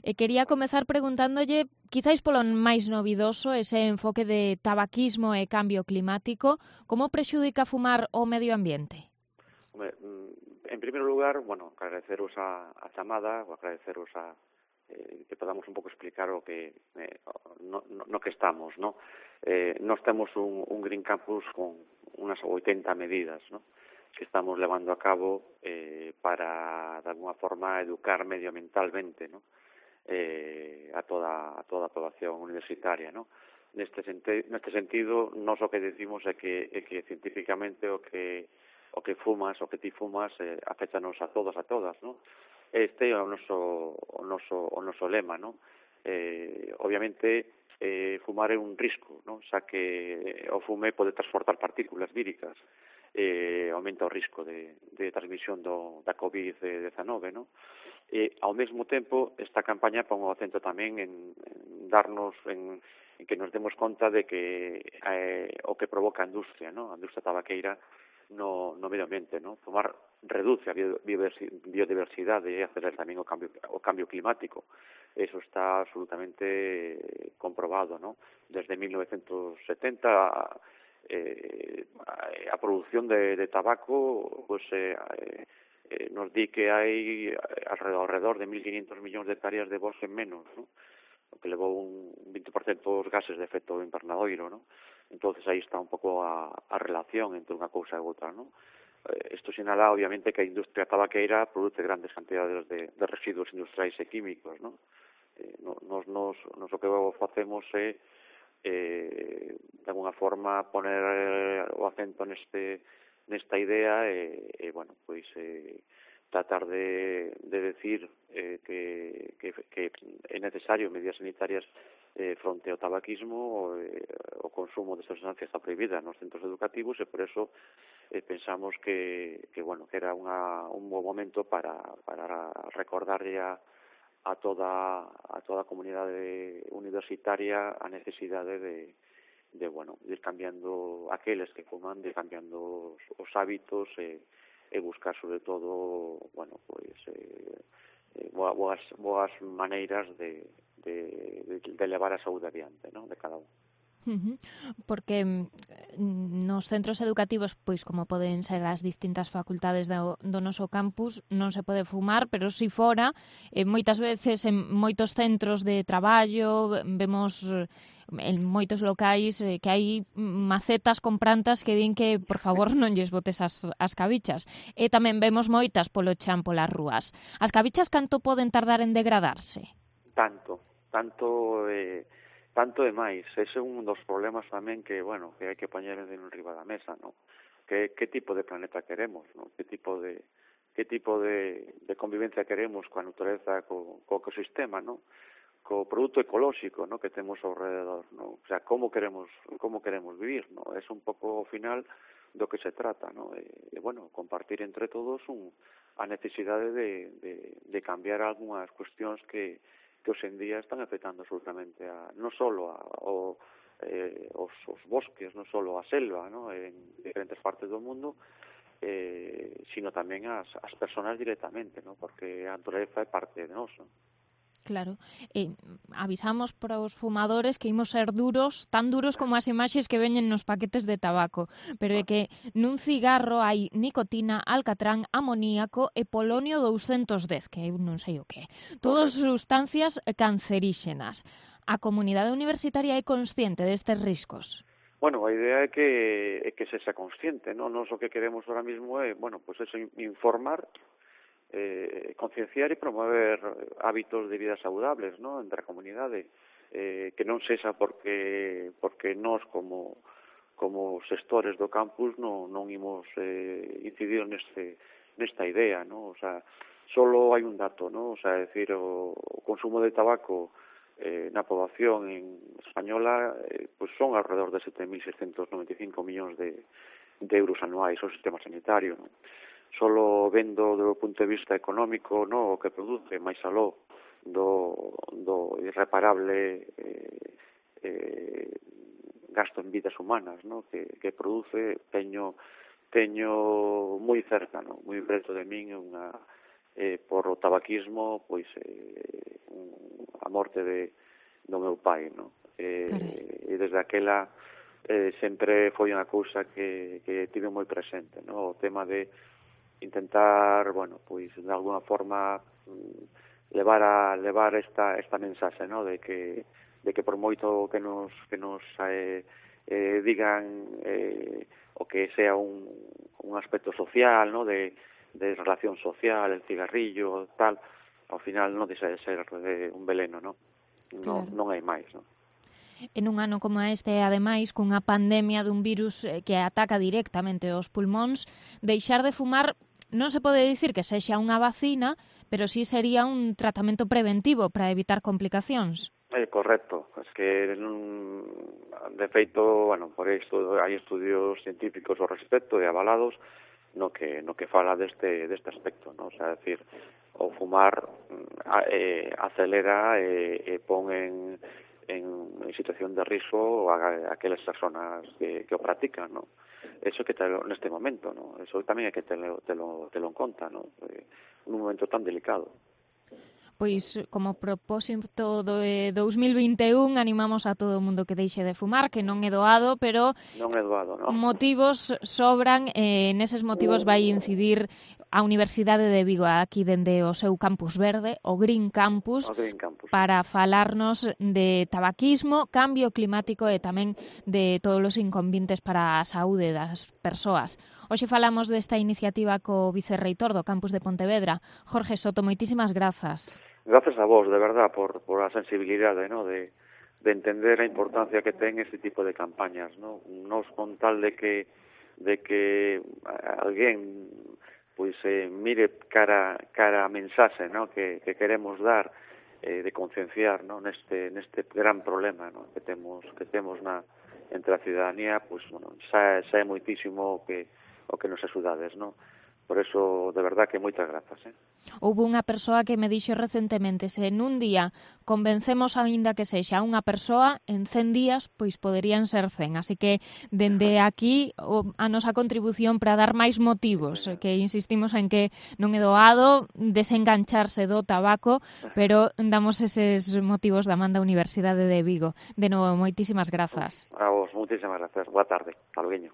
Quería comezar preguntándolle, quizáis polo máis novidoso, ese enfoque de tabaquismo e cambio climático, como prexudica fumar o medio ambiente? En primeiro lugar, bueno, agradeceros a chamada, ou agradeceros que podamos un pouco explicar o que no que estamos, ¿no? Nós temos un Green Campus con unas 80 medidas, ¿no?, que estamos levando a cabo para, de alguna forma, educar medioambientalmente, ¿no?, a toda a población universitaria, ¿no? Neste sentido, nós o que decimos é que científicamente o que fumas, o que ti fumas, afectanos a todos, a todas, ¿no? Este é o noso lema, ¿no? Obviamente, fumar é un risco, ¿no?, xa que o fume pode transportar partículas víricas, aumenta o risco de transmisión da COVID-19, ¿no? Ao mesmo tempo, esta campaña pon o acento tamén en que nos demos conta de que o que provoca a industria, ¿no?, a industria tabaqueira no medio ambiente, ¿no? Fumar reduce a biodiversidade e acelera tamén o cambio climático. Eso está absolutamente comprobado, ¿no? Desde 1970 a produción de tabaco pues nos di que hai alrededor de 1.500 millóns de hectáreas de bosque menos, ¿no?, o que levou un 20% dos gases de efecto invernadoiro, ¿no? Entonces aí está un pouco a relación entre unha cousa e outra, ¿no? Isto sinala, obviamente, que a industria tabaqueira produce grandes cantidades de residuos industriais e químicos, ¿no? Nos o que facemos é de alguna forma poner o acento nesta idea e bueno, pois tratar de decir que é necesario medidas sanitarias fronte ao tabaquismo. O consumo de sustancias está prohibida nos centros educativos e por eso pensamos que era un bo momento para recordarlle a toda a comunidade universitaria a necesidade de ir cambiando aqueles que fuman, de ir cambiando os hábitos e buscar sobre todo boas maneiras de levar a saúde adiante, ¿no?, de cada un. Porque nos centros educativos, pois como poden ser as distintas facultades do noso campus, non se pode fumar, pero si fora, moitas veces en moitos centros de traballo, vemos en moitos locais que hai macetas con plantas que din que, por favor, non lles botes as cabichas. E tamén vemos moitas polo chan polas rúas. As cabichas canto poden tardar en degradarse? Tanto e máis. Ese é un dos problemas tamén que hai que poñer en riba da mesa, ¿no? Que tipo de planeta queremos, ¿no? Que tipo de convivencia queremos coa natureza, co ecosistema, ¿no?, co produto ecolóxico, ¿no?, que temos ao rededor, ¿no? O sea, como queremos vivir, ¿no? É un pouco ao final do que se trata, ¿no? Compartir entre todos a necesidade de cambiar algunhas cuestións que hoxe en día están afectando absolutamente non só os bosques, non só a selva, ¿no?, en diferentes partes do mundo, sino tamén as persoas directamente, ¿no?, porque a natureza é parte de nós, ¿no? Claro, avisamos para os fumadores que imos ser duros, tan duros como as imaxes que veñen nos paquetes de tabaco, pero é que nun cigarro hai nicotina, alcatrán, amoníaco e polonio 210, que eu non sei o que é. Todas sustancias canceríxenas. A comunidade universitaria é consciente destes riscos? Bueno, a idea é que se xa consciente, ¿no? Nos o que queremos ahora mismo é, eso, informar, concienciar e promover hábitos de vida saludables, ¿no?, entre a comunidade, que non sexa porque nós como xestores do campus non imos incidir nesta idea, ¿no? O sea, solo hai un dato, ¿no? O sea, decir, o consumo de tabaco na poboación española pues son alrededor de 7.695 millóns de euros anuais ao sistema sanitario, ¿no? Solo vendo do punto de vista económico, ¿no?, o que produce máis aló do irreparable gasto en vidas humanas, ¿no?, que produce, teño moi cerca, ¿no?, moi preto de min por o tabaquismo, pois morte do meu pai, no? E desde aquela sempre foi unha cousa que tive moi presente, no? O tema de intentar, bueno, pois de alguna forma levar esta mensaxe, no? De que por moito que nos digan o que sea un aspecto social, no? De relación social, el cigarrillo, tal, ao final non deixa de ser un veleno, no? Non hai máis, no? En un ano como este, ademais, cunha pandemia dun virus que ataca directamente os pulmóns, deixar de fumar non se pode dicir que sexa unha vacina, pero sí sería un tratamento preventivo para evitar complicacións. Correcto, es que de feito, bueno, por isto hai estudios científicos ao respecto e avalados no que fala deste aspecto, no? O sea, decir, o fumar acelera e pon en situación de risco a aquelas personas que o practican, no? Eso que neste momento, no? Eso tamén hai que telo en conta, no? Un momento tan delicado. Pois, como propósito de 2021, animamos a todo o mundo que deixe de fumar, que non é doado, pero non é doado, no? Motivos sobran, neses motivos vai incidir a Universidade de Vigo aquí dende o seu campus verde, o Green Campus, para falarnos de tabaquismo, cambio climático e tamén de todos os inconvenientes para a saúde das persoas. Hoxe falamos desta iniciativa co vicerreitor do campus de Pontevedra, Jorge Soto, moitísimas grazas. Grazas a vos, de verdad, por a sensibilidade, ¿no? de entender a importancia que ten este tipo de campañas, ¿no? Nos con tal de que alguén pois mire cara a mensaxe, ¿no? que queremos dar de concienciar, ¿no? neste gran problema, ¿no? que temos entre a ciudadanía, pois bueno, xa é moitísimo o que nos axudades, ¿no? Por eso, de verdad, que moitas grazas. Houve unha persoa que me dixo recentemente, se nun día convencemos aínda que sexa unha persoa, en 100 días, pois poderían ser 100. Así que, dende aquí, a nosa contribución para dar máis motivos, que insistimos en que non é doado desengancharse do tabaco, pero damos eses motivos da man da Universidade de Vigo. De novo, moitísimas grazas. A vos, moitísimas grazas. Boa tarde. Hasta luego.